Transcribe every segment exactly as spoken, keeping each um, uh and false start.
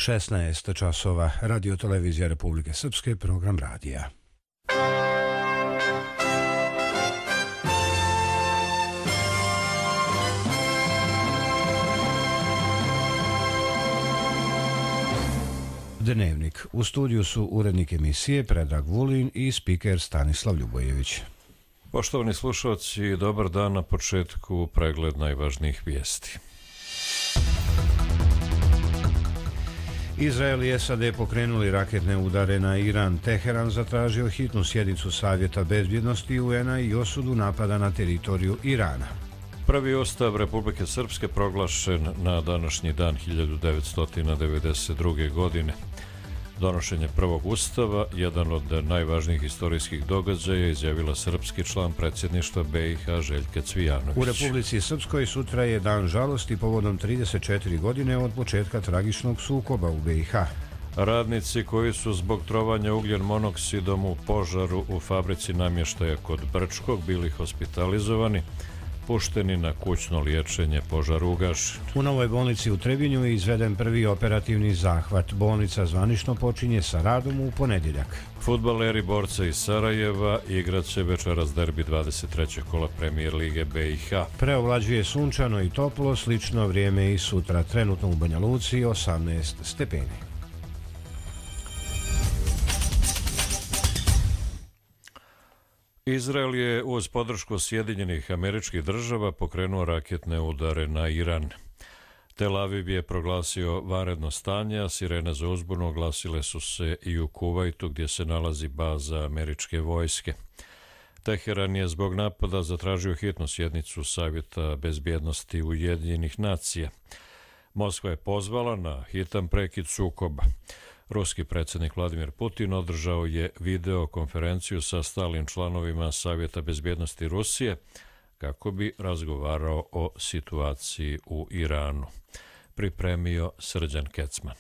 šesnaest časova, Radio Televizija Republike Srpske, program radija. Dnevnik. U studiju su urednik emisije Predrag Vulin i spiker Stanislav Ljubojević. Poštovani slušalci, dobar dan. Na početku pregled najvažnijih vijesti. Izrael i S A D pokrenuli raketne udare na Iran. Teheran zatražio hitnu sjednicu Savjeta bezbjednosti U N-a i osudu napada na teritoriju Irana. Prvi Ustav Republike Srpske proglašen na današnji dan hiljadu devetsto devedeset druge. godine. Donošenje prvog Ustava, jedan od najvažnijih istorijskih događaja, izjavila srpski član predsjedništva B i H Željka Cvijanović. U Republici Srpskoj sutra je dan žalosti povodom trideset četiri godine od početka tragičnog sukoba u B i H. Radnici koji su zbog trovanja ugljen monoksidom u požaru u fabrici namještaja kod Brčkog bili hospitalizovani, pušteni na kućno liječenje, požar ugašen. U novoj bolnici u Trebinju je izveden prvi operativni zahvat. Bolnica zvanično počinje sa radom u ponedjeljak. Fudbaleri borca iz Sarajeva igrat će večeras derbi dvadeset trećeg kola Premijer lige B i H. Preovlađuje sunčano i toplo, slično vrijeme i sutra. Trenutno u Banja Luci osamnaest stepeni. Izrael je uz podršku Sjedinjenih Američkih Država pokrenuo raketne udare na Iran. Tel Aviv je proglasio vanredno stanje, a sirene za uzbunu oglasile su se i u Kuvajtu, gdje se nalazi baza američke vojske. Teheran je zbog napada zatražio hitnu sjednicu Savjeta bezbjednosti Ujedinjenih nacija. Moskva je pozvala na hitan prekid sukoba. Ruski predsjednik Vladimir Putin održao je video konferenciju sa stalnim članovima Savjeta bezbjednosti Rusije kako bi razgovarao o situaciji u Iranu. Pripremio Srđan Kecman.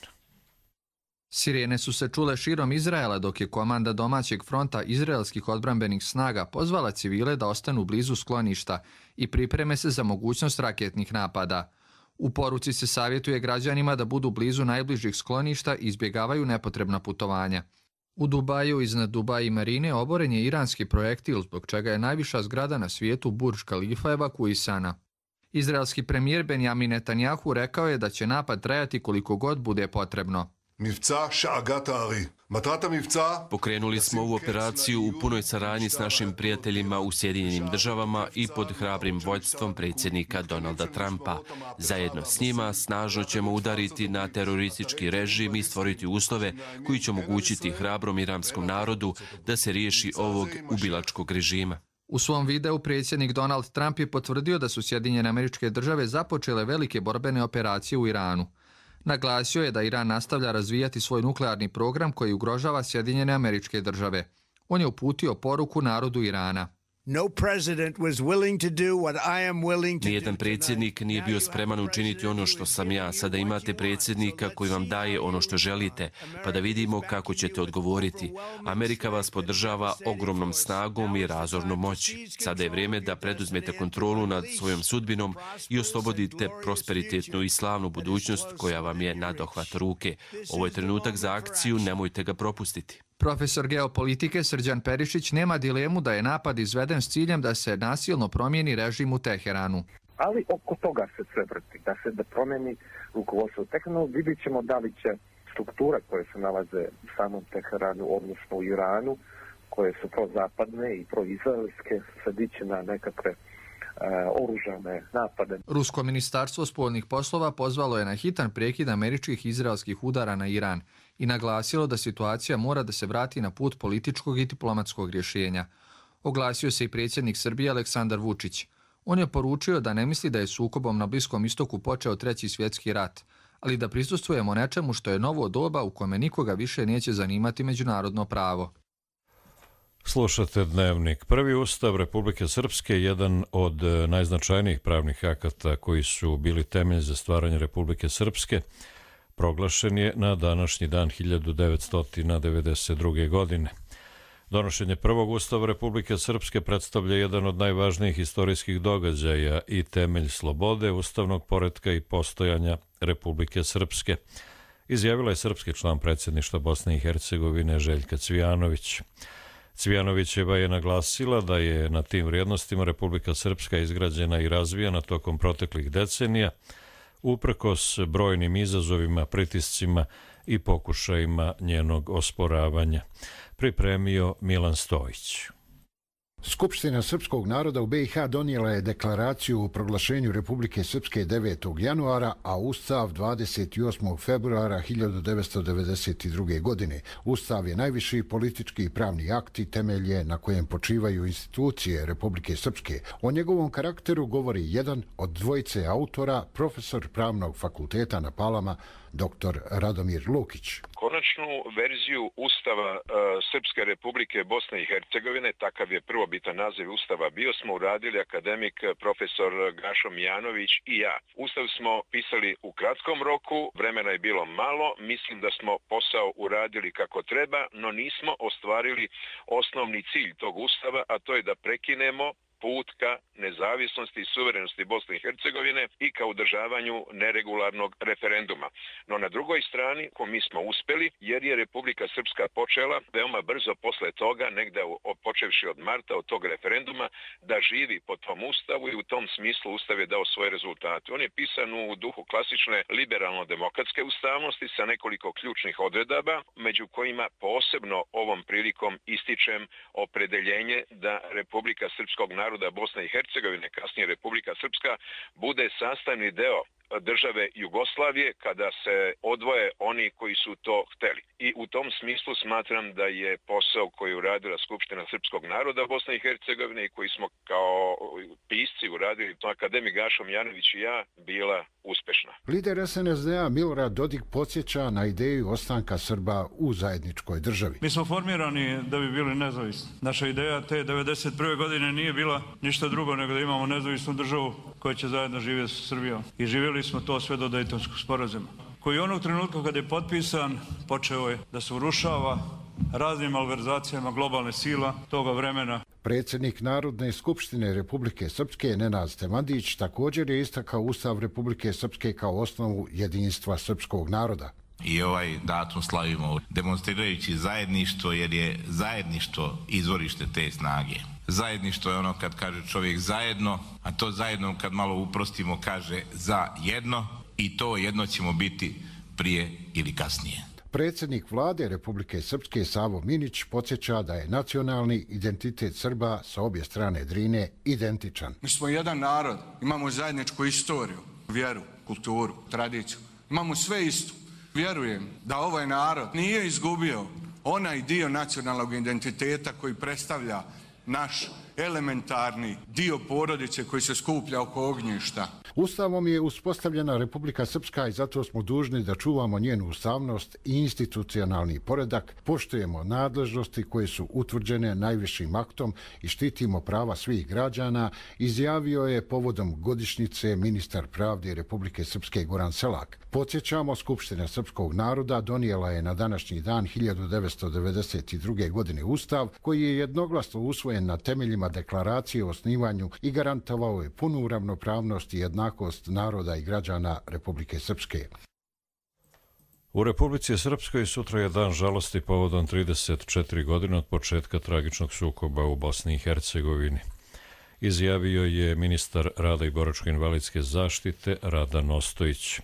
Sirene su se čule širom Izraela, dok je komanda domaćeg fronta izraelskih odbrambenih snaga pozvala civile da ostanu blizu skloništa i pripreme se za mogućnost raketnih napada. U poruci se savjetuje građanima da budu blizu najbližih skloništa i izbjegavaju nepotrebna putovanja. U Dubaju iznad Dubai marine oboren je iranski projektil, zbog čega je najviša zgrada na svijetu Burj Khalifa evakuisana. Izraelski premijer Benjamin Netanjahu rekao je da će napad trajati koliko god bude potrebno. Pokrenuli smo ovu operaciju u punoj saradnji s našim prijateljima u Sjedinjenim Državama i pod hrabrim vođstvom predsjednika Donalda Trumpa. Zajedno s njima snažno ćemo udariti na teroristički režim i stvoriti uslove koji će omogućiti hrabrom iranskom narodu da se riješi ovog ubilačkog režima. U svom videu predsjednik Donald Trump je potvrdio da su Sjedinjene Američke Države započele velike borbene operacije u Iranu. Naglasio je da Iran nastavlja razvijati svoj nuklearni program koji ugrožava Sjedinjene Američke Države. On je uputio poruku narodu Irana. Nijedan predsjednik nije bio spreman učiniti ono što sam ja. Sada imate predsjednika koji vam daje ono što želite, pa da vidimo kako ćete odgovoriti. Amerika vas podržava ogromnom snagom i razornom moći. Sada je vrijeme da preduzmete kontrolu nad svojom sudbinom i oslobodite prosperitetnu i slavnu budućnost koja vam je na dohvat ruke. Ovo je trenutak za akciju, nemojte ga propustiti. Profesor geopolitike Srđan Perišić nema dilemu da je napad izveden s ciljem da se nasilno promijeni režim u Teheranu. Ali oko toga se sve vrti, da se da promijeni rukovodstvo u Teheranu. Vidjet ćemo da li će strukture koje se nalaze u samom Teheranu, odnosno u Iranu, koje su prozapadne i proizraelske, se dići na nekakve oružane napade. Rusko ministarstvo spoljnih poslova pozvalo je na hitan prekid američkih i izraelskih udara na Iran i naglasilo da situacija mora da se vrati na put političkog i diplomatskog rješenja. Oglasio se i predsjednik Srbije Aleksandar Vučić. On je poručio da ne misli da je sukobom na Bliskom istoku počeo treći svjetski rat, ali da prisustvujemo nečemu što je novo doba u kome nikoga više neće zanimati međunarodno pravo. Slušate Dnevnik. Prvi Ustav Republike Srpske, jedan od najznačajnijih pravnih akata koji su bili temelj za stvaranje Republike Srpske, proglašen je na današnji dan hiljadu devetsto devedeset druge. godine. Donošenje prvog Ustava Republike Srpske predstavlja jedan od najvažnijih istorijskih događaja i temelj slobode, ustavnog poretka i postojanja Republike Srpske, izjavila je srpski član predsjedništva Bosne i Hercegovine Željka Cvijanović. Cvijanovićeva je naglasila da je na tim vrijednostima Republika Srpska izgrađena i razvijena tokom proteklih decenija, uprkos brojnim izazovima, pritiscima i pokušajima njenog osporavanja. Pripremio Milan Stojić. Skupština srpskog naroda u B i H donijela je deklaraciju o proglašenju Republike Srpske devetog januara, a Ustav dvadeset osmog februara hiljadu devetsto devedeset druge. godine. Ustav je najviši politički i pravni akt i temelje na kojem počivaju institucije Republike Srpske. O njegovom karakteru govori jedan od dvojice autora, profesor Pravnog fakulteta na Palama, doktor Radomir Lukić. Konačnu verziju Ustava e, Srpske Republike Bosne i Hercegovine, takav je prvobitan naziv Ustava bio, smo uradili akademik profesor Gašo Mijanović i ja. Ustav smo pisali u kratkom roku, vremena je bilo malo, mislim da smo posao uradili kako treba, no nismo ostvarili osnovni cilj tog Ustava, a to je da prekinemo put ka nezavisnosti i suverenosti Bosne i Hercegovine i ka održavanju neregularnog referenduma. No na drugoj strani, ko mi smo uspeli, jer je Republika Srpska počela veoma brzo posle toga, negde počevši od marta, od tog referenduma, da živi po tom Ustavu i u tom smislu Ustav je dao svoje rezultate. On je pisan u duhu klasične liberalno-demokratske ustavnosti sa nekoliko ključnih odredaba, među kojima posebno ovom prilikom ističem opredeljenje da Republika Srpskog naroda Bosne i Hercegovine, kasnije Republika Srpska, bude sastavni deo države Jugoslavije kada se odvoje oni koji su to hteli. I u tom smislu smatram da je posao koji je uradila Skupština Srpskog naroda Bosne i Hercegovine i koji smo kao pisci uradili, to akademik Gašo Mijanović i ja, bila uspešna. Lider S N S D-a Milorad Dodik podsjeća na ideju ostanka Srba u zajedničkoj državi. Mi smo formirani da bi bili nezavisni. Naša ideja te devedeset prve. godine nije bila ništa drugo nego da imamo nezavisnu državu koja će zajedno živjeti sa Srbijom. I živjeli smo to sve do Dejtonskog sporazuma, koji onog trenutka kada je potpisan počeo je da se urušava raznim malverzacijama globalne sila toga vremena. Predsjednik Narodne skupštine Republike Srpske Nenad Stemandić također je istakao Ustav Republike Srpske kao osnovu jedinstva srpskog naroda. I ovaj datum slavimo demonstrirajući zajedništvo, jer je zajedništvo izvorište te snage. Zajedništvo je ono kad kaže čovjek zajedno, a to zajedno kad malo uprostimo kaže za jedno, i to jedno ćemo biti prije ili kasnije. Predsjednik vlade Republike Srpske Savo Minić podsjeća da je nacionalni identitet Srba sa obje strane Drine identičan. Mi smo jedan narod, imamo zajedničku istoriju, vjeru, kulturu, tradiciju. Imamo sve isto. Vjerujem da ovaj narod nije izgubio onaj dio nacionalnog identiteta koji predstavlja naš elementarni dio porodice koji se skuplja oko ognjišta. Ustavom je uspostavljena Republika Srpska i zato smo dužni da čuvamo njenu ustavnost i institucionalni poredak, poštujemo nadležnosti koje su utvrđene najvišim aktom i štitimo prava svih građana, izjavio je povodom godišnjice ministar pravde Republike Srpske Goran Selak. Podsjećamo, Skupština srpskog naroda donijela je na današnji dan hiljadu devetsto devedeset druge. godine Ustav, koji je jednoglasno usvojen na temeljima deklaracije o osnivanju i garantovao je punu ravnopravnost i jednakost naroda i građana Republike Srpske. U Republici Srpskoj sutra je dan žalosti povodom trideset četiri godine od početka tragičnog sukoba u Bosni i Hercegovini. Izjavio je ministar rada i boračko-invalidske zaštite Radan Ostojić.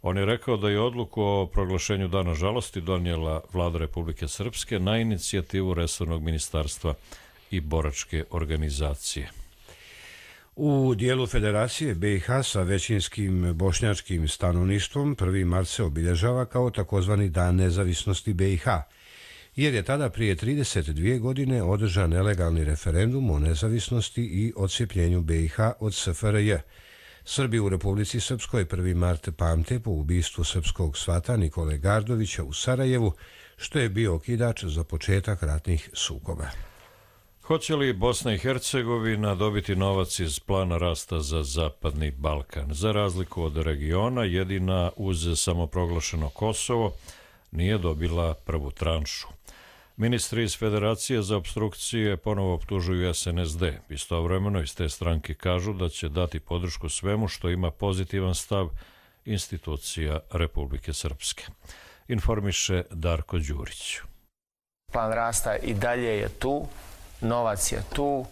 On je rekao da je odluku o proglašenju dana žalosti donijela vlada Republike Srpske na inicijativu resornog ministarstva i boračke organizacije. U dijelu Federacije B i H sa većinskim bošnjačkim stanovništvom prvi mart se obilježava kao takozvani Dan nezavisnosti B i H, jer je tada prije trideset dvije godine održan nelegalni referendum o nezavisnosti i odcijepljenju B i H od S F R J. Srbi u Republici Srpskoj prvi mart pamte po ubistvu srpskog svata Nikole Gardovića u Sarajevu, što je bio okidač za početak ratnih sukoba. Hoće li Bosna i Hercegovina dobiti novac iz plana rasta za Zapadni Balkan? Za razliku od regiona, jedina uz samoproglašeno Kosovo nije dobila prvu tranšu. Ministri iz Federacije za opstrukcije ponovo optužuju S N S D. Istovremeno iz te stranke kažu da će dati podršku svemu što ima pozitivan stav institucija Republike Srpske. Informiše Darko Đurić. Plan rasta i dalje je tu, novac je tu.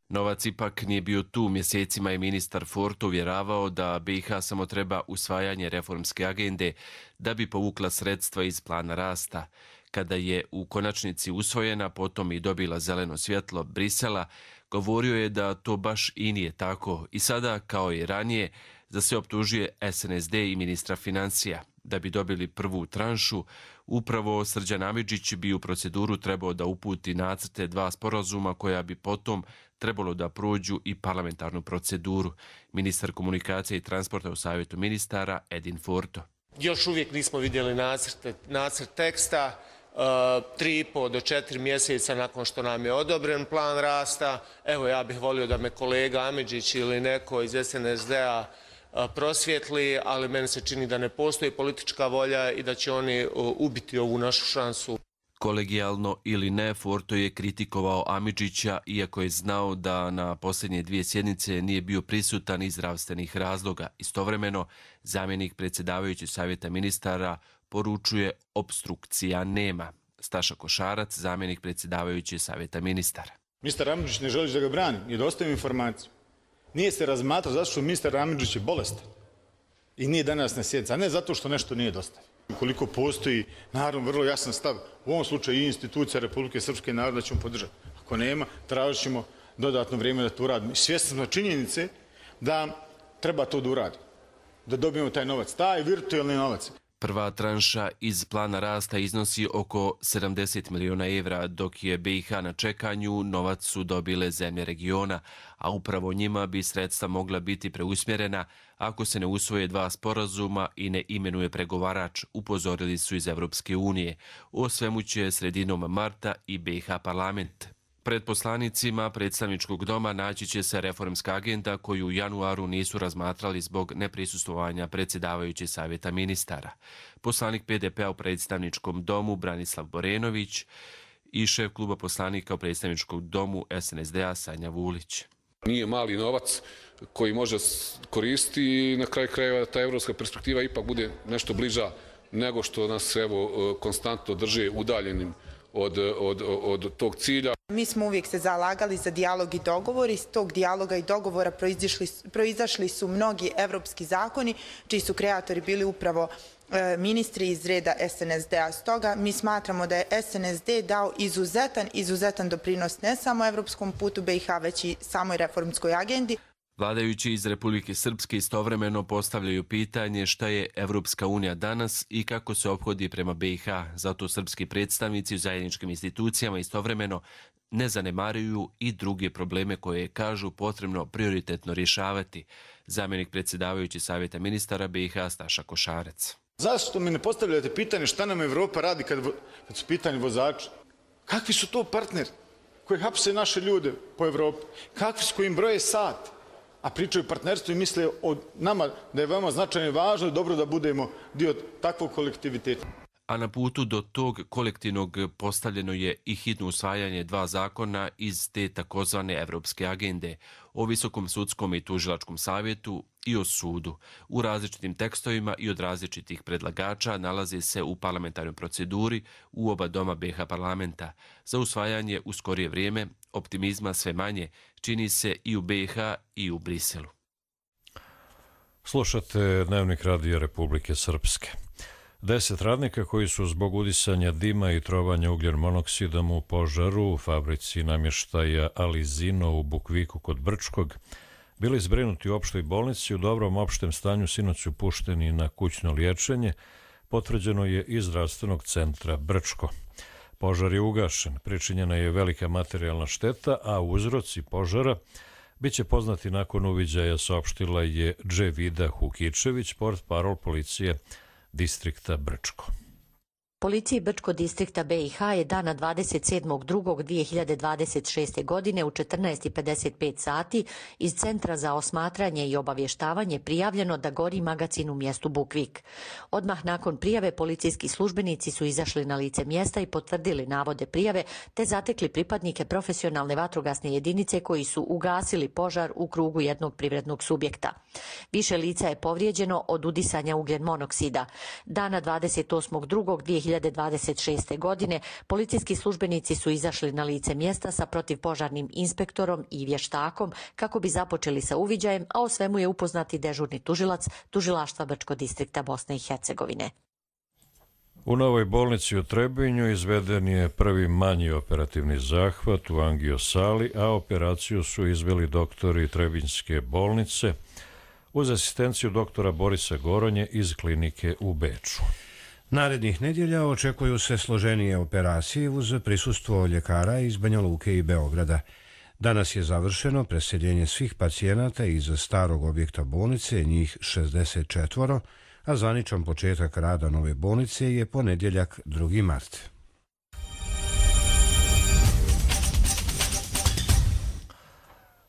Novac ipak nije bio tu. Mjesecima je ministar Forto uvjeravao da B i H samo treba usvajanje reformske agende da bi povukla sredstva iz plana rasta. Kada je u konačnici usvojena, potom i dobila zeleno svjetlo Brisela, govorio je da to baš i nije tako i sada, kao i ranije, za sve optužuje S N S D i ministra financija. Da bi dobili prvu tranšu, upravo Srđan Amidžić bi u proceduru trebao da uputi nacrte dva sporazuma koja bi potom trebalo da prođu i parlamentarnu proceduru. Ministar komunikacije i transporta u Savjetu ministara Edin Forto. Još uvijek nismo vidjeli nacrte, nacrt teksta. Tri i po do četiri mjeseca nakon što nam je odobren plan rasta. Evo, ja bih volio da me kolega Amidžić ili neko iz S N S D-a prosvjetli, ali meni se čini da ne postoji politička volja i da će oni ubiti ovu našu šansu. Kolegijalno ili ne, Forto je kritikovao Amidžića, iako je znao da na posljednje dvije sjednice nije bio prisutan iz zdravstvenih razloga. Istovremeno, zamjenik predsjedavajućeg savjeta ministara poručuje opstrukcija nema. Staša Košarac, zamjenik predsjedavajućeg savjeta ministara. Ministar Amidžić ne želi da ga brani, nije dostavio informaciju. Nije se razmatrao zato što ministar Amidžić je bolestan i nije danas na sjednici, a ne zato što nešto nije dostavio. Ukoliko postoji, naravno, vrlo jasan stav, u ovom slučaju i institucija Republike Srpske naroda ćemo podržati. Ako nema, tražit ćemo dodatno vrijeme da to uradimo. Svjesni smo činjenice da treba to da uradimo, da dobijemo taj novac, taj virtualni novac. Prva tranša iz plana rasta iznosi oko sedamdeset miliona evra, dok je B i H na čekanju, novac su dobile zemlje regiona, a upravo njima bi sredstva mogla biti preusmjerena ako se ne usvoje dva sporazuma i ne imenuje pregovarač, upozorili su iz Evropske unije. O svemu će sredinom marta i B i H parlament. Pred poslanicima predstavničkog doma naći će se reformska agenda koju u januaru nisu razmatrali zbog neprisustvovanja predsjedavajućeg savjeta ministara. Poslanik P D P-a u predstavničkom domu Branislav Borenović i šef kluba poslanika u predstavničkom domu S N S D-a Sanja Vulić. Nije mali novac koji može koristiti i na kraju krajeva ta evropska perspektiva ipak bude nešto bliža nego što nas evo konstantno drže udaljenim Od, od, od tog cilja. Mi smo uvijek se zalagali za dijalog i dogovor. Iz tog dijaloga i dogovora proizašli su mnogi evropski zakoni, čiji su kreatori bili upravo e, ministri iz reda S N S D-a. Stoga mi smatramo da je S N S D dao izuzetan, izuzetan doprinos ne samo evropskom putu B i H, već i samoj reformskoj agendi. Vladajući iz Republike Srpske istovremeno postavljaju pitanje šta je Evropska unija danas i kako se ophodi prema B i H. Zato srpski predstavnici u zajedničkim institucijama istovremeno ne zanemaruju i druge probleme koje kažu potrebno prioritetno rješavati. Zamjenik predsjedavajući savjeta ministara B i H Staša Košarac. Zašto mi ne postavljate pitanje šta nam Evropa radi kad, kad su pitanje vozača? Kakvi su to partneri koji hapse naše ljude po Evropi? Kakvi su koji im broje sat? A pričaju partnerstvo i misle o nama da je veoma značajno i važno i dobro da budemo dio takvog kolektiviteta. A na putu do tog kolektivnog postavljeno je i hitno usvajanje dva zakona iz te takozvane evropske agende o Visokom sudskom i tužilačkom savjetu i o sudu. U različitim tekstovima i od različitih predlagača nalaze se u parlamentarnoj proceduri u oba doma B i H parlamenta. Za usvajanje u skorije vrijeme optimizma sve manje čini se i u B i H i u Briselu. Slušate Dnevnik Radija Republike Srpske. Deset radnika koji su zbog udisanja dima i trovanja ugljen monoksidom u požaru u fabrici namještaja Alizino u Bukviku kod Brčkog bili zbrinuti u opštoj bolnici, u dobrom opštem stanju sinoć su pušteni na kućno liječenje, potvrđeno je iz zdravstvenog centra Brčko. Požar je ugašen, pričinjena je velika materijalna šteta, a uzroci požara biće poznati nakon uviđaja, saopštila je Dževida Hukičević, portparol policije distrikta Brčko. Policiji Brčkog distrikta B i H je dana dvadeset sedmog drugog dvije hiljade dvadeset šeste. godine u četrnaest i pedeset pet sati iz Centra za osmatranje i obavještavanje prijavljeno da gori magacin u mjestu Bukvik. Odmah nakon prijave policijski službenici su izašli na lice mjesta i potvrdili navode prijave te zatekli pripadnike profesionalne vatrogasne jedinice koji su ugasili požar u krugu jednog privrednog subjekta. Više lica je povrijeđeno od udisanja ugljen monoksida. Dana dvadeset osmog drugog dvije hiljade dvadeset šeste. godine policijski službenici su izašli na lice mjesta sa protivpožarnim inspektorom i vještakom kako bi započeli sa uviđajem, a o svemu je upoznati dežurni tužilac Tužilaštva Brčkog distrikta Bosne i Hercegovine. U novoj bolnici u Trebinju izveden je prvi manji operativni zahvat u angiosali, a operaciju su izveli doktori Trebinjske bolnice uz asistenciju doktora Borisa Goronje iz klinike u Beču. Narednih nedjelja očekuju se složenije operacije uz prisustvo ljekara iz Banja Luke i Beograda. Danas je završeno preseljenje svih pacijenata iz starog objekta bolnice, njih šezdeset četiri, a zvaničan početak rada nove bolnice je ponedjeljak drugi mart.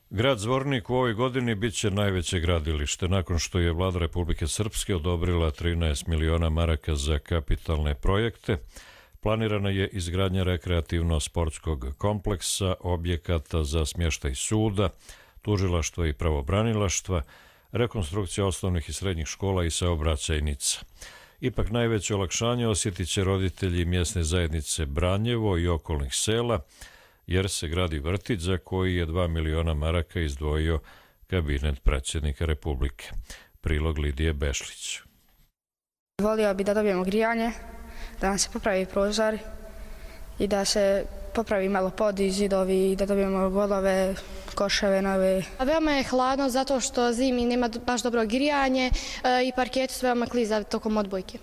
Grad Zvornik u ovoj godini bit će najveće gradilište, nakon što je vlada Republike Srpske odobrila trinaest miliona maraka za kapitalne projekte. Planirana je izgradnja rekreativno-sportskog kompleksa, objekata za smještaj suda, tužilaštva i pravobranilaštva, rekonstrukcija osnovnih i srednjih škola i saobraćajnica. Ipak najveće olakšanje osjetit će roditelji mjesne zajednice Branjevo i okolnih sela, jer se gradi vrtić za koji je dva miliona maraka izdvojio kabinet predsjednika Republike. Prilog Lidije Bešlić. Volio bi da dobijemo grijanje, da nam se popravi prozor i da se popravi malo pod i zidovi i da dobijemo golove, koševe nove. Veoma je hladno zato što zimi nema baš dobro grijanje i parket su veoma klizavi tokom odbojke.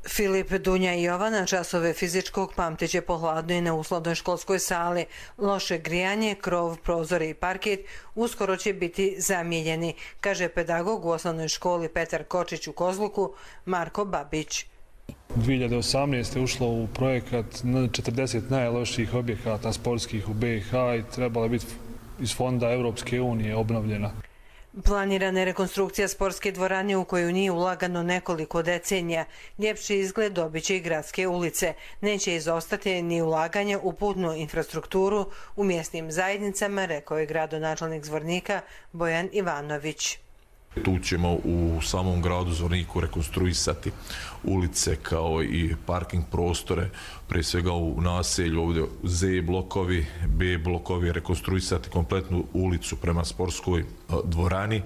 Filip, Dunja i Jovana časove fizičkog pamteće po hladnoj i neuslovnoj školskoj sali. Loše grijanje, krov, prozore i parket uskoro će biti zamijenjeni, kaže pedagog u osnovnoj školi Petar Kočić u Kozluku, Marko Babić. dvije hiljade osamnaeste. ušlo u projekat četrdeset najlošijih objekata sportskih u B i H i trebala biti iz fonda Europske unije obnovljena. Planirana je rekonstrukcija sportske dvorane u koju nije ulagano nekoliko decenija. Ljepši izgled dobit će i gradske ulice. Neće izostati ni ulaganja u putnu infrastrukturu u mjesnim zajednicama, rekao je gradonačelnik Zvornika Bojan Ivanović. Tu ćemo u samom gradu Zvorniku rekonstruisati ulice kao i parking prostore, prije svega u naselju ovdje Z blokovi, B blokovi, rekonstruisati kompletnu ulicu prema sportskoj dvorani.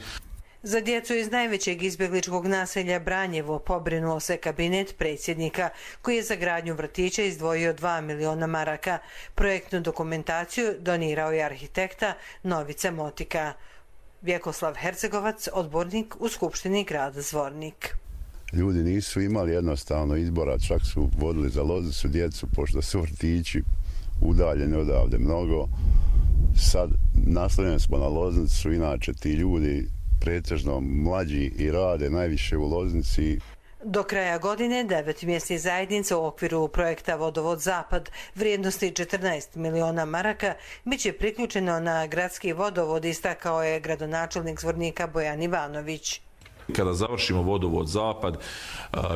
Za djecu iz najvećeg izbjegličkog naselja Branjevo pobrinuo se kabinet predsjednika koji je za gradnju vrtića izdvojio dva miliona maraka. Projektnu dokumentaciju donirao je arhitekta Novica Motika. Vjekoslav Hercegovac, odbornik u Skupštini grada Zvornik. Ljudi nisu imali jednostavno izbora, čak su vodili za Lozicu djecu, pošto su vrtići udaljeni odavde mnogo. Sad naslonjeni smo na Loznicu, inače ti ljudi pretežno mlađi i rade najviše u Loznici. Do kraja godine devet mjesnih zajednica u okviru projekta Vodovod Zapad vrijednosti četrnaest miliona maraka bit će priključeno na gradski vodovod, istakao je gradonačelnik Zvornika Bojan Ivanović. Kada završimo vodovod Zapad,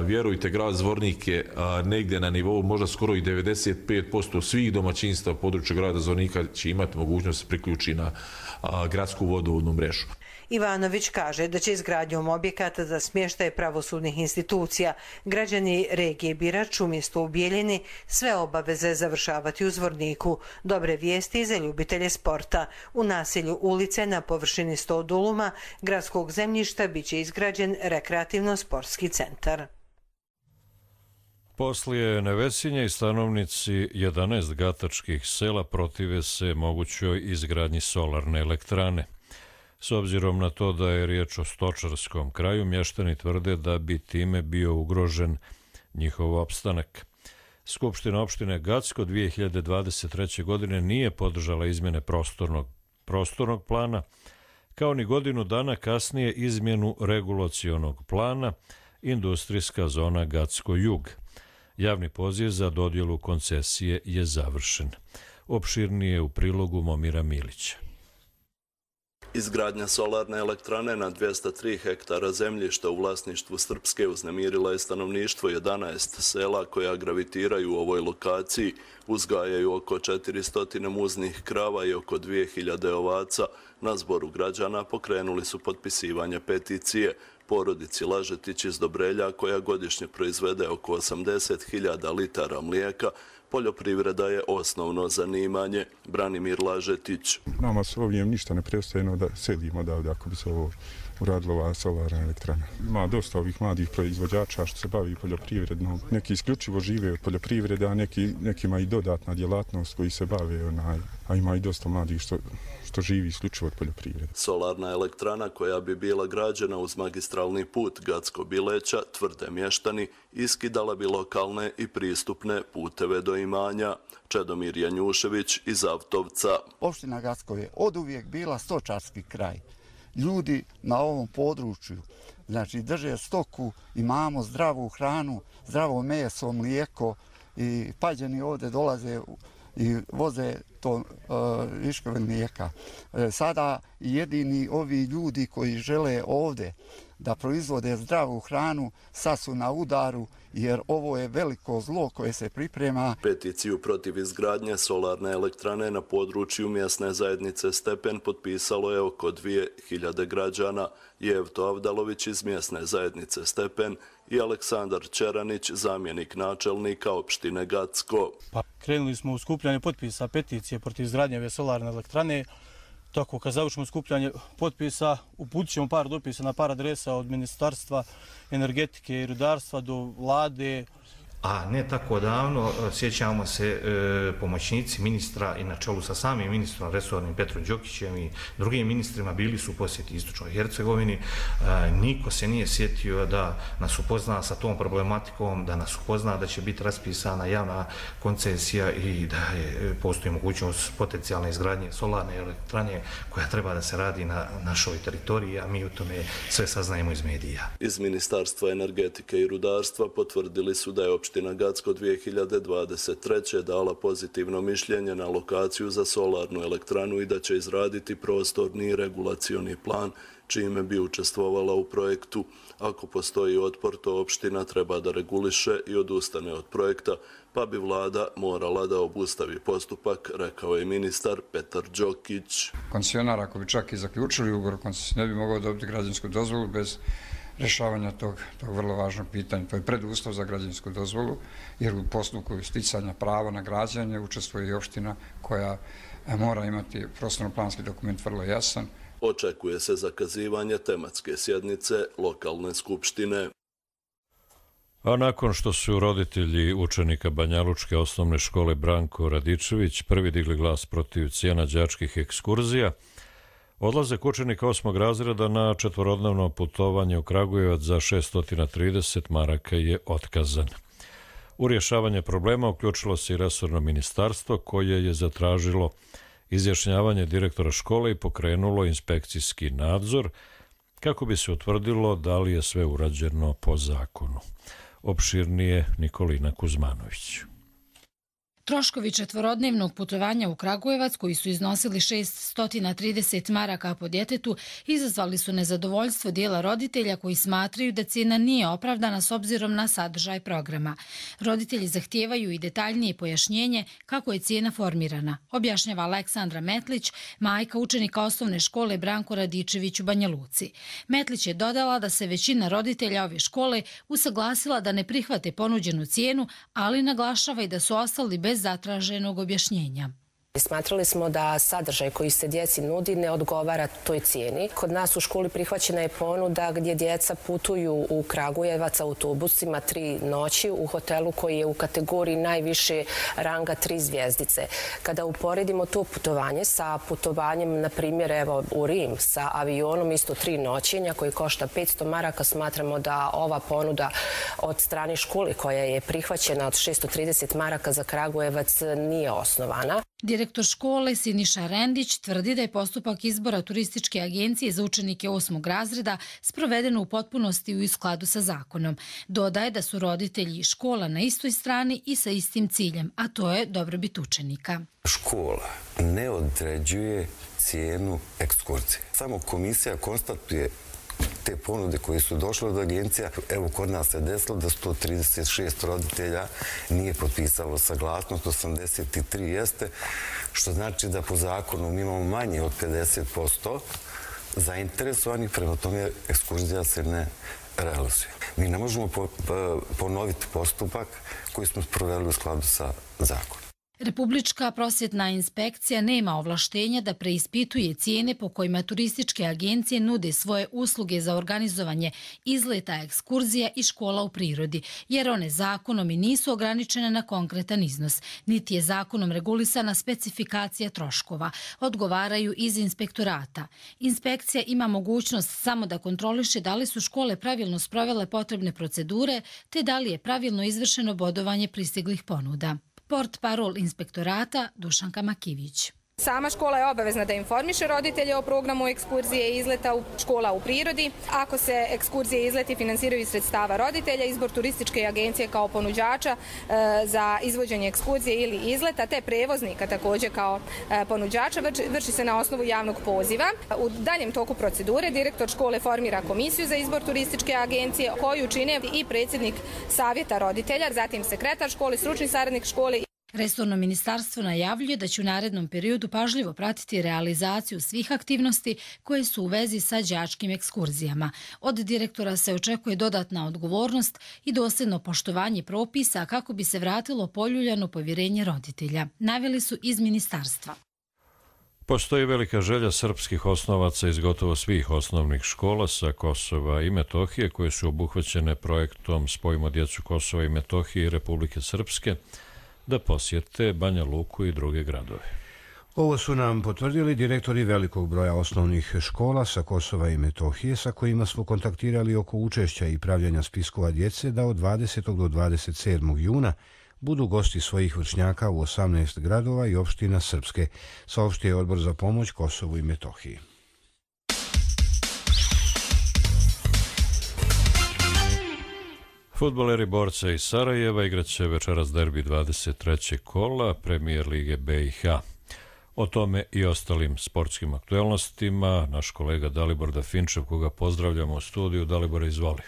vjerujte, grad Zvornik je negdje na nivou možda skoro i devedeset pet posto svih domaćinstva u području grada Zvornika će imati mogućnost da se priključi na gradsku vodovodnu mrežu. Ivanović kaže da će izgradnjom objekata za smještaj pravosudnih institucija građani regije Birač umjesto u Bijeljini sve obaveze završavati u Zvorniku. Dobre vijesti za ljubitelje sporta. U naselju ulice na površini sto duluma gradskog zemljišta bit će izgrađen rekreativno-sportski centar. Poslije Nevesinje i stanovnici jedanaest gatačkih sela protive se mogućoj izgradnji solarne elektrane. S obzirom na to da je riječ o stočarskom kraju, mještani tvrde da bi time bio ugrožen njihov opstanak. Skupština opštine Gacko dvije hiljade dvadeset treće. godine nije podržala izmjene prostornog, prostornog plana, kao ni godinu dana kasnije izmjenu regulacionog plana industrijska zona Gacko Jug. Javni poziv za dodjelu koncesije je završen. Opširnije u prilogu Momira Milića. Izgradnja solarne elektrane na dvjesto tri hektara zemljišta u vlasništvu Srpske uznemirila je stanovništvo jedanaest sela koja gravitiraju u ovoj lokaciji, uzgajaju oko četiristo muznih krava i oko dvije hiljade ovaca. Na zboru građana pokrenuli su potpisivanje peticije porodici Lažetić iz Dobrelja, koja godišnje proizvede oko osamdeset hiljada litara mlijeka. Poljoprivreda je osnovno zanimanje. Branimir Lažetić. Nama s ovim ništa ne preostaje da sedimo odavde ako bi se ovo uradila ova solarna elektrana. Ima dosta ovih mladih proizvođača što se bavi poljoprivrednom. Neki isključivo žive od poljoprivrede, a neki, nekima i dodatna djelatnost koji se bave, onaj, a ima i dosta mladih što, što živi isključivo od poljoprivrede. Solarna elektrana koja bi bila građena uz magistralni put Gacko-Bileća, tvrde mještani, iskidala bi lokalne i pristupne puteve do imanja. Čedomir Janjušević iz Avtovca. Opština Gacko je oduvijek bila stočarski kraj. Ljudi na ovom području, znači drže stoku, imamo zdravu hranu, zdravo meso, mlijeko i Pađani ovdje dolaze i voze to uh, viškove mlijeka. E, sada jedini ovi ljudi koji žele ovdje da proizvode zdravu hranu sad su na udaru, jer ovo je veliko zlo koje se priprema. Peticiju protiv izgradnje solarne elektrane na području mjesne zajednice Stepen potpisalo je oko dvije hiljade građana. Jevto Avdalović iz mjesne zajednice Stepen i Aleksandar Čeranić, zamjenik načelnika opštine Gacko. Pa, krenuli smo u skupljanje potpisa peticije protiv izgradnje ove solarne elektrane. Tako, kad završimo skupljanje potpisa, uputit ćemo par dopisa na par adresa od Ministarstva energetike i rudarstva do vlade. A ne tako davno, sjećamo se, e, pomoćnici ministra i na čelu sa samim ministrom resornim Petrom Đokićem i drugim ministrima bili su u posjeti Istočnoj Hercegovini. E, niko se nije sjetio da nas upozna sa tom problematikom, da nas upozna da će biti raspisana javna koncesija i da je, postoji mogućnost potencijalne izgradnje solarne elektrane koja treba da se radi na našoj teritoriji, a mi o tome sve saznajemo iz medija. Iz Ministarstva energetike i rudarstva potvrdili su da je opština Opština Gacko dvije hiljade dvadeset treće. dala pozitivno mišljenje na lokaciju za solarnu elektranu i da će izraditi prostorni i regulacioni plan čime bi učestvovala u projektu. Ako postoji otpor, to opština treba da reguliše i odustane od projekta, pa bi vlada morala da obustavi postupak, rekao je ministar Petar Đokić. Koncesionar, ako bi čak i zaključili ugovor, ne bi mogao dobiti građansku dozvolu bez rješavanja tog, tog vrlo važnog pitanja. To je preduslov za građansku dozvolu, jer u postupku sticanja prava na građenje učestvuje i opština koja mora imati prostorno-planski dokument vrlo jasan. Očekuje se zakazivanje tematske sjednice lokalne skupštine. A nakon što su roditelji učenika Banjalučke osnovne škole Branko Radičević prvi digli glas protiv cijena đačkih ekskurzija, odlazak učenika osmog razreda na četvorodnevno putovanje u Kragujevac za šesto trideset maraka je otkazan. U rješavanje problema uključilo se i resorno ministarstvo koje je zatražilo izjašnjavanje direktora škole i pokrenulo inspekcijski nadzor kako bi se utvrdilo da li je sve urađeno po zakonu. Opširnije Nikolina Kuzmanović. Troškovi četvorodnevnog putovanja u Kragujevac, koji su iznosili šesto trideset maraka po djetetu, izazvali su nezadovoljstvo dijela roditelja koji smatraju da cijena nije opravdana s obzirom na sadržaj programa. Roditelji zahtijevaju i detaljnije pojašnjenje kako je cijena formirana, objašnjava Aleksandra Metlić, majka učenika osnovne škole Branko Radičević u Banja Luci. Metlić je dodala da se većina roditelja ove škole usaglasila da ne prihvate ponuđenu cijenu, ali naglašava i da su ostali bez zatraženog objašnjenja. Smatrali smo da sadržaj koji se djeci nudi ne odgovara toj cijeni. Kod nas u školi prihvaćena je ponuda gdje djeca putuju u Kragujevac autobusima tri noći u hotelu koji je u kategoriji najviše ranga tri zvjezdice. Kada uporedimo to putovanje sa putovanjem, na primjer, evo, u Rim sa avionom isto tri noćenja koji košta petsto maraka, smatramo da ova ponuda od strane škole koja je prihvaćena od šesto trideset maraka za Kragujevac nije osnovana. Direktor škole Siniša Rendić tvrdi da je postupak izbora turističke agencije za učenike osmog razreda sproveden u potpunosti u skladu sa zakonom. Dodaje da su roditelji i škola na istoj strani i sa istim ciljem, a to je dobrobit učenika. Škola ne određuje cijenu ekskurzije. Samo komisija konstatuje te ponude koje su došle od agencija. Evo, kod nas se desilo da sto trideset šest roditelja nije potpisalo saglasnost, osamdeset tri jeste, što znači da po zakonu mi imamo manje od pedeset posto zainteresovanih, prema tome ekskurzija se ne realizuje. Mi ne možemo ponoviti postupak koji smo sproveli u skladu sa zakonom. Republička prosvjetna inspekcija nema ovlaštenja da preispituje cijene po kojima turističke agencije nude svoje usluge za organizovanje izleta, ekskurzija i škola u prirodi, jer one zakonom i nisu ograničene na konkretan iznos, niti je zakonom regulisana specifikacija troškova, odgovaraju iz inspektorata. Inspekcija ima mogućnost samo da kontroliše da li su škole pravilno sprovele potrebne procedure, te da li je pravilno izvršeno bodovanje pristiglih ponuda. Port parol inspektorata Dušanka Makivić. Sama škola je obavezna da informiše roditelje o programu ekskurzije i izleta u škola u prirodi. Ako se ekskurzije i izleti finansiraju iz sredstava roditelja, izbor turističke agencije kao ponuđača e, za izvođenje ekskurzije ili izleta, te prevoznika također kao e, ponuđača vrši, vrši se na osnovu javnog poziva. U daljem toku procedure direktor škole formira komisiju za izbor turističke agencije koju čine i predsjednik savjeta roditelja, zatim sekretar škole, stručni saradnik škole. Resorno ministarstvo najavljuje da će u narednom periodu pažljivo pratiti realizaciju svih aktivnosti koje su u vezi sa đačkim ekskurzijama. Od direktora se očekuje dodatna odgovornost i dosljedno poštovanje propisa kako bi se vratilo poljuljano povjerenje roditelja, naveli su iz ministarstva. Postoji velika želja srpskih osnovaca iz gotovo svih osnovnih škola sa Kosova i Metohije koje su obuhvaćene projektom Spojimo djecu Kosova i Metohije i Republike Srpske da posjete Banja Luku i druge gradove. Ovo su nam potvrdili direktori velikog broja osnovnih škola sa Kosova i Metohije sa kojima smo kontaktirali oko učešća i pravljanja spiskova djece da od dvadesetog do dvadeset sedmog juna budu gosti svojih vršnjaka u osamnaest gradova i opština Srpske, saopštio je Odbor za pomoć Kosovu i Metohiji. Fudbaleri Borca iz Sarajeva igraće večeras derbi dvadeset trećeg kola Premijer lige B i H. O tome i ostalim sportskim aktuelnostima naš kolega Dalibor Dafinčev, koga pozdravljamo u studiju. Dalibor, izvoli.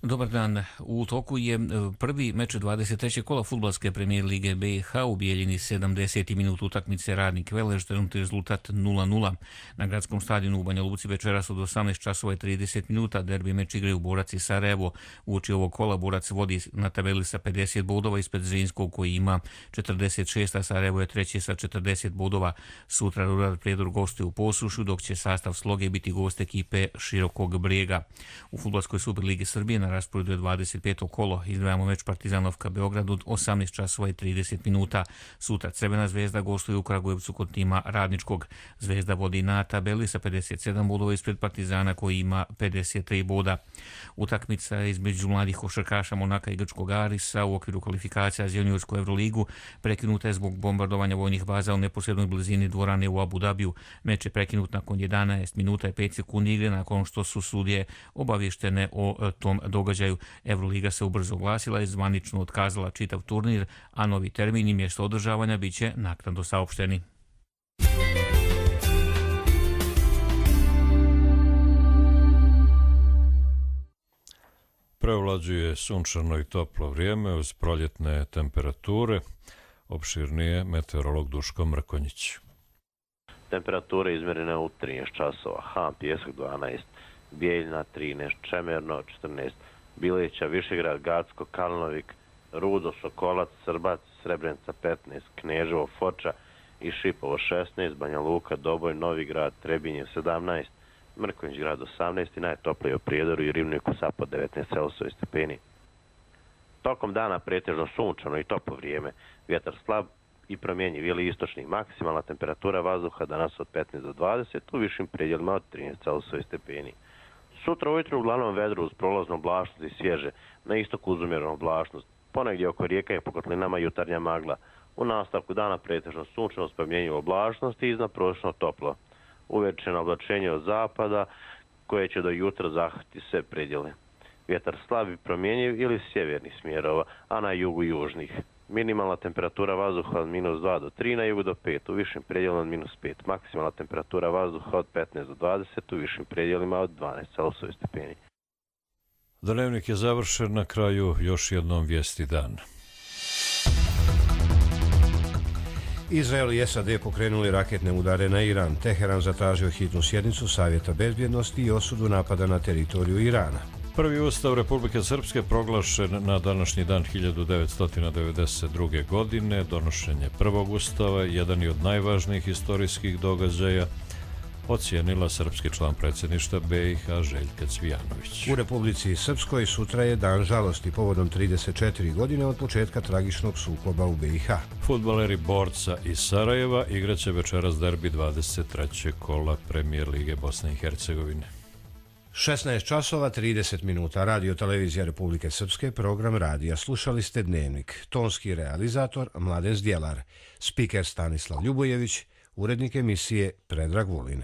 Dobar dan. U toku je prvi meč dvadeset trećeg kola fudbalske Premijer lige B i H u Bijeljini. sedamdeseti minut utakmice Radnik Velež, trenutni rezultat nula nula. Na gradskom stadionu u Banja Luci večeras od osamnaest časova i trideset minuta derbi meč igraju Borac i Sarajevo. Uoči ovog kola Borac vodi na tabeli sa pedeset bodova ispred Zrinskog koji ima četrdeset šest, a Sarajevo je treći sa četrdeset bodova. Sutra Rurar Prijedor gostuje u Posušu, dok će sastav Sloge biti gost ekipe Širokog Brijega. U fudbalskoj Superligi Srbije na rasporedu je dvadeset peto kolo. Izdvajamo meč Partizanovka Beograd od osamnaest časova i trideset minuta. Sutra Crvena zvezda gostuje u Kragujevcu kod tima Radničkog. Zvezda vodi na tabeli sa pedeset sedam bodova ispred Partizana koji ima pedeset tri boda. Utakmica između mladih košarkaša Monaka i Grčkog Arisa u okviru kvalifikacija za juniorsku Evroligu prekinuta je zbog bombardovanja vojnih baza u neposrednoj blizini dvorane u Abu Dabiju. Meč je prekinut nakon jedanaest minuta i pet sekundi igre nakon što su sudije obavještene o tom događaju. Evroliga se ubrzo oglasila i zvanično otkazala čitav turnir, a novi termin i mjesto održavanja bit će naknadno saopšteni. Prevlađuje sunčano i toplo vrijeme uz proljetne temperature. Opširnije meteorolog Duško Mrkonjić. Temperature izmjerene u trinaest časova. Han, Pjesak dvanaest, Bijeljina trinaest, Čemerno četrnaest, Bileća, Višegrad, Gacko, Kalnovik, Rudo, Sokolac, Srbac, Srebrenica petnaest, Kneževo, Foča i Šipovo šesnaest, Banja Luka, Doboj, Novi Grad, Trebinje sedamnaest, Mrkonjić grad osamnaest i najtoplije u Prijedoru i Rivniku Sapa devetnaest Celzijusovih stepeni. Tokom dana pretežno sunčano i toplo vrijeme, vjetar slab i promjenjiv ili istočni. Maksimalna temperatura vazduha danas od petnaest do dvadeset, u višim predjelima od trinaest Celzijusovih stepeni. Sutra ujutro uglavnom vedro uz prolaznu oblačnost i svježe, na istoku uz umjerenu oblačnost. Ponegdje oko rijeka i po kotlinama jutarnja magla. U nastavku dana pretežno sunčano s pomjenjiv oblačnosti i iznad prosječno toplo. Uvečeno oblačenje od zapada koje će do jutra zahvatiti sve predjele. Vjetar slabi promjenjiv ili sjevernih smjerova, a na jugu južnih. Minimalna temperatura vazduha od minus dva do tri, na jugu do pet, u višim predjelima od minus pet. Maksimalna temperatura vazduha od petnaest do dvadeset, u višim predjelima od dvanaest Celzijusovih stepeni. Dnevnik je završen, na kraju još jednom vijesti dan. Izrael i S A D pokrenuli raketne udare na Iran. Teheran zatražio hitnu sjednicu Savjeta bezbjednosti i osudu napada na teritoriju Irana. Prvi ustav Republike Srpske proglašen na današnji dan hiljadu devetsto devedeset druge. godine. Donošenje prvog ustava, jedan je od najvažnijih historijskih događaja, ocijenila srpski član predsjedništva B i H Željka Cvijanović. U Republici Srpskoj sutra je dan žalosti povodom trideset četiri godine od početka tragičnog sukoba u B i H. Fudbaleri Borca iz Sarajeva igraće večeras derbi dvadeset trećeg kola Premijer Lige Bosne i Hercegovine. šesnaest časova trideset minuta. Radio televizija Republike Srpske, program radija. Slušali ste Dnevnik. Tonski realizator Mladen Zdjelar. Spiker Stanislav Ljubojević. Urednik emisije Predrag Vulin.